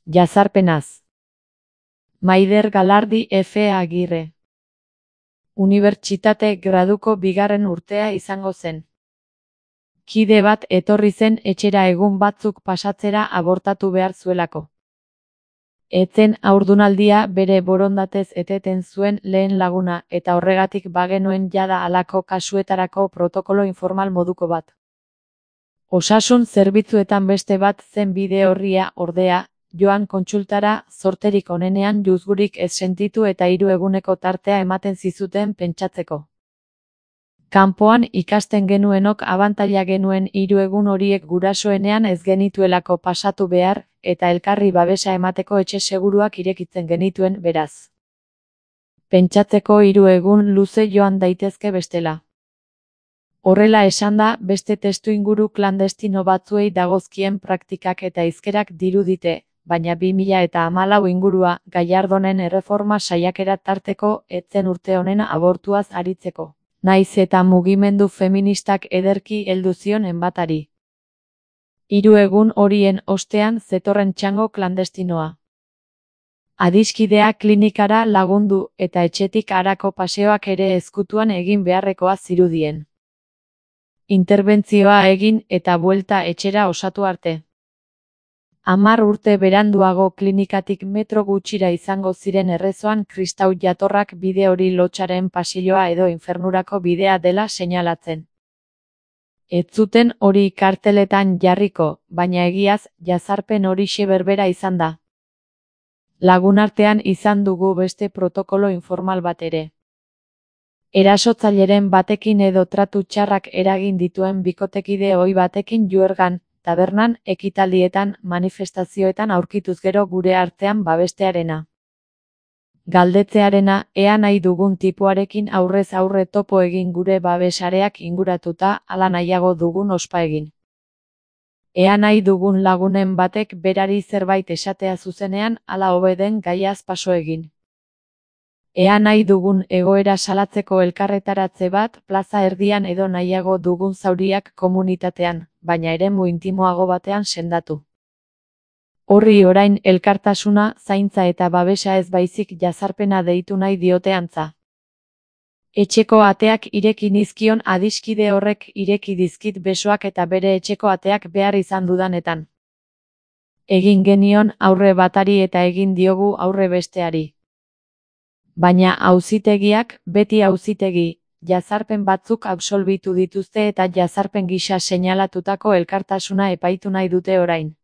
Jazarpenaz. Maider Galardi F. Agirre. Unibertsitate graduko bigarren urtea izango zen. Kide bat etorri zen etxera egun batzuk pasatzera abortatu behar zuelako. Etzen haurdunaldia bere borondatez eteten zuen lehen laguna eta horregatik bagenuen jada halako kasuetarako protokolo informal moduko bat. Osasun zerbitzuetan beste bat zen bide orria ordea, joan kontsultara zorterik onenean juzgurik ez sentitu eta 3 eguneko tartea ematen zizuten pentsatzeko. Kanpoan ikasten genuenok abantaila genuen 3 egun horiek gurasoenean ez genituelako pasatu behar, eta elkarri babesa emateko etxe seguruak irekitzen genituen beraz. Pentsatzeko 3 egun luze joan daitezke bestela. Horrela esanda, beste testuinguru klandestino batzuei dagozkien praktikak eta hizkerak dirudite, baina 2014 ingurua Gallardonen erreforma saiakera tarteko etzen urte honen abortuaz aritzeko. Naiz eta mugimendu feministak ederki heldu zion enbatari. 3 egun horien ostean zetorren txango klandestinoa. Adiskidea klinikara lagundu eta etxetik harako paseoak ere ezkutuan egin beharrekoa zirudien. Interbentzioa egin eta buelta etxera osatu arte. 10 urte beranduago klinikatik metro gutxira izango ziren errezoan kristau jatorrak bide hori lotsaren pasilloa edo infernurako bidea dela seinalatzen. Ez zuten hori karteletan jarriko, baina egiaz jazarpen horixe berbera izan da. Lagunartean izan dugu beste protokolo informal bat ere. Erasotzaileren batekin edo tratu txarrak eragin dituen bikotekide ohi batekin juergan, tabernan, ekitaldietan, manifestazioetan aurkituz gero gure artean babestearena. Galdetzearena, ea nahi dugun tipuarekin aurrez aurre topo egin gure babesareak inguratuta, ala nahiago dugun ospa egin. Ea nahi dugun lagunen batek berari zerbait esatea zuzenean, ala hobe den gaiaz paso egin. Ea nahi dugun egoera salatzeko elkarretaratze bat plaza erdian edo nahiago dugun zauriak komunitatean, baina eremu intimoago batean sendatu. Horri orain elkartasuna, zaintza eta babesa ez baizik jazarpena deitu nahi diote antza. Etxeko ateak ireki nizkion adiskide horrek ireki dizkit besoak eta bere etxeko ateak behar izan dudanetan. Egin genion aurre batari eta egin diogu aurre besteari. Baina auzitegiak, beti auzitegi, jazarpen batzuk absolbitu dituzte eta jazarpen gisa seinalatutako elkartasuna epaitu nahi dute orain.